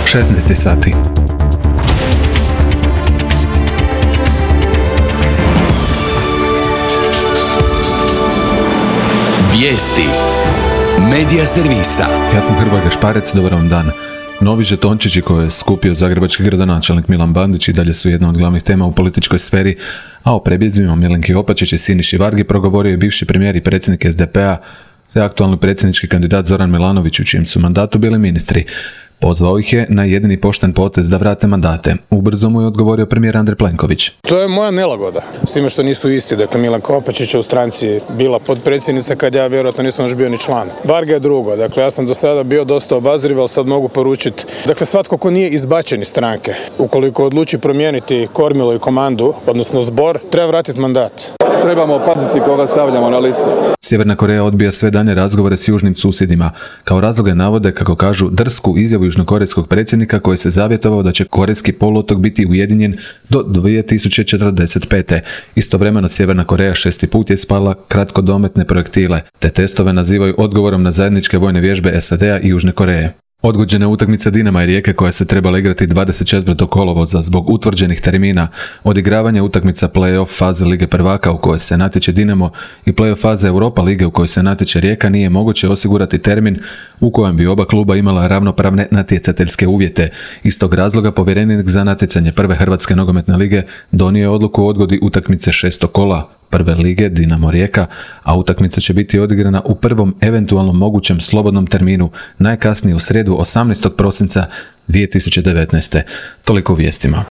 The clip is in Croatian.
16 sati. Vijesti Medija servisa. Ja sam Hrvoje Gašparec, dobar vam dan. Novi žetončići koje je skupio zagrebački gradonačelnik Milan Bandić i dalje su jedna od glavnih tema u političkoj sferi, a o prebjezima Milenki Opačić i Siniši Vargi progovorio je bivši premijer i predsjednik SDP-a te aktualni predsjednički kandidat Zoran Milanović, u čijem su mandatu bili ministri. Pozvao ih je na jedini pošten potez da vrate mandate. Ubrzo mu je odgovorio premijer Andrej Plenković. To je moja nelagoda, s time što nisu isti. Dakle, Milanka Opačić je u stranci bila potpredsjednica kad ja vjerojatno nisam još bio ni član. Varga je drugo. Dakle, ja sam do sada bio dosta obazriv, ali sad mogu poručiti. Dakle, svatko ko nije izbačen iz stranke, ukoliko odluči promijeniti kormilo i komandu, odnosno zbor, treba vratiti mandat. Trebamo paziti koga stavljamo na listu. Sjeverna Koreja odbija sve danje razgovore s južnim susjedima. Kao razloge navode, kako kažu, drsku izjavu južnokorejskog predsjednika koji se zavjetovao da će korejski poluotok biti ujedinjen do 2045. Istovremeno Sjeverna Koreja 6. put je spala kratkodometne projektile, te testove nazivaju odgovorom na zajedničke vojne vježbe SAD-a i Južne Koreje. Odgođena utakmica Dinama i Rijeke koja se trebala igrati 24. kolovoza zbog utvrđenih termina, odigravanje utakmica play-off faze Lige prvaka u kojoj se natječe Dinamo i play-off faze Europa lige u kojoj se natječe Rijeka nije moguće osigurati termin u kojem bi oba kluba imala ravnopravne natjecateljske uvjete. Iz tog razloga povjerenik za natjecanje prve Hrvatske nogometne lige donio je odluku o odgodi utakmice 6. kola prve lige Dinamo Rijeka, a utakmica će biti odigrana u prvom eventualnom mogućem slobodnom terminu, najkasnije u srijedu 18. prosinca 2019. Toliko u vijestima.